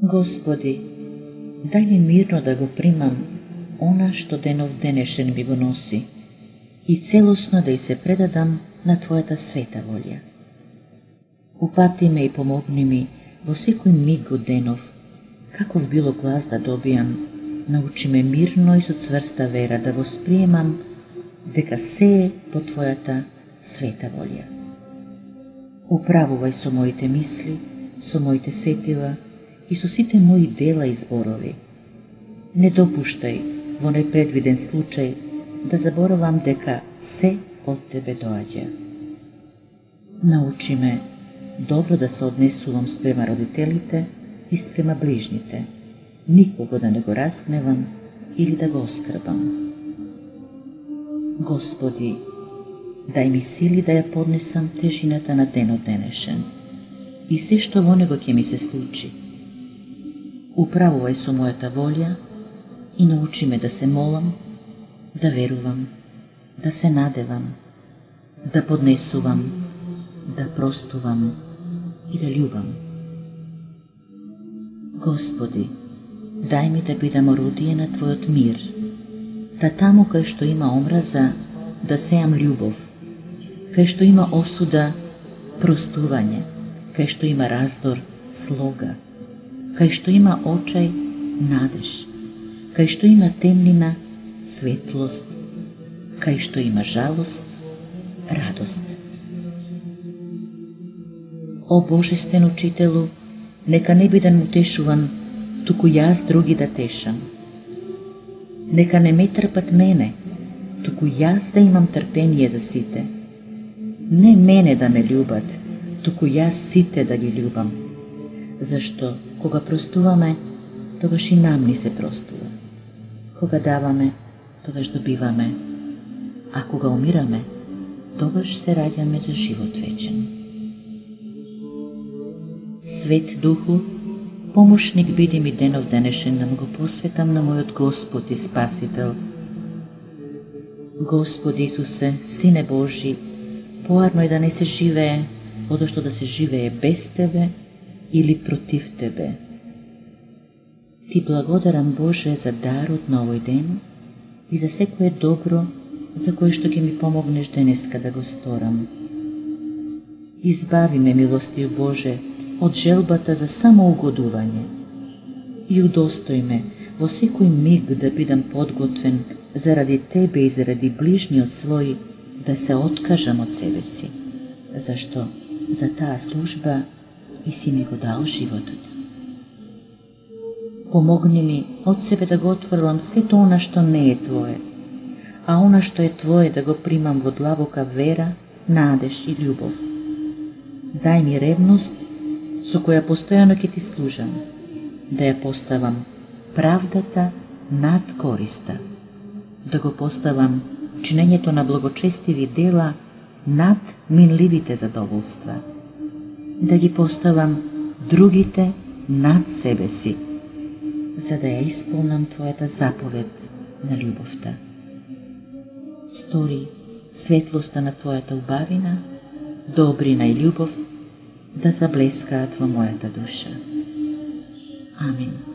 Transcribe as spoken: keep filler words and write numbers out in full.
Господи, дај ми мирно да го примам она што денов денешен ми го носи и целосно да и се предадам на Твојата света волја. Упати ме и помогни ми во секој миг од денов, каков било глас да добијам, научи ме мирно и со цврста вера да восприемам дека се е по Твојата света волја. Управувај со моите мисли, со моите сетила и со сите мои дела и зборови. Не допуштај во непредвиден случај да заборавам дека се од Тебе доаѓа. Научи ме добро да се однесувам спрема родителите и спрема ближните, никого да не го разгневам или да го оскрбам. Господи, дај ми сили да ја поднесам тежината на денот денешен и се што во него ќе ми се случи. Управувај со мојата волја и научи ме да се молам, да верувам, да се надевам, да поднесувам, да простувам и да љубам. Господи, дај ми да бидам орудие на Твојот мир, да таму кај што има омраза, да сеам љубов, кај што има осуда, простување, кај што има раздор, слога, кај што има очај, надеж, кај што има темнина, светлост, кај што има жалост, радост. О Божествен Учителу, нека не бидам утешуван, туку јас други да тешам. Нека не ме трпат мене, туку јас да имам трпение за сите. Не мене да ме љубат, туку јас сите да ги љубам. Зашто, кога простуваме, тогаш и нам ни се простува. Кога даваме, тогаш добиваме, а кога умираме, тогаш се раѓаме за живот вечен. Свет Духу, помошник биди ми денов денешен да му го посветам на мојот Господ и Спасител. Господи Исусе, Сине Божи, поарно е да не се живее, одошто да се живее без Тебе или против Тебе. Ти благодарам, Боже, за дарот на овој ден и за секое добро за кое што ќе ми помогнеш денеска да го сторам. Избави ме, милостив Боже, од желбата за самоугодување и удостој ме во секој миг да бидам подготвен заради Тебе и заради ближниот свој да се откажам од себе си, зашто за таа служба и си ми го дал животот. Помогни ми од себе да го отфрлам сето она што не е Твое, а она што е Твое да го примам во длабока вера, надеж и љубов. Дај ми ревност со која постојано ќе Ти служам, да ја поставам правдата над користа, да го поставам чинењето на благочестиви дела над минливите задоволства, да ги поставам другите над себе си, за да ја исполнам Твојата заповед на љубовта. Стори светлоста на Твојата убавина, добрина и љубов да заблескаат во мојата душа. Амин.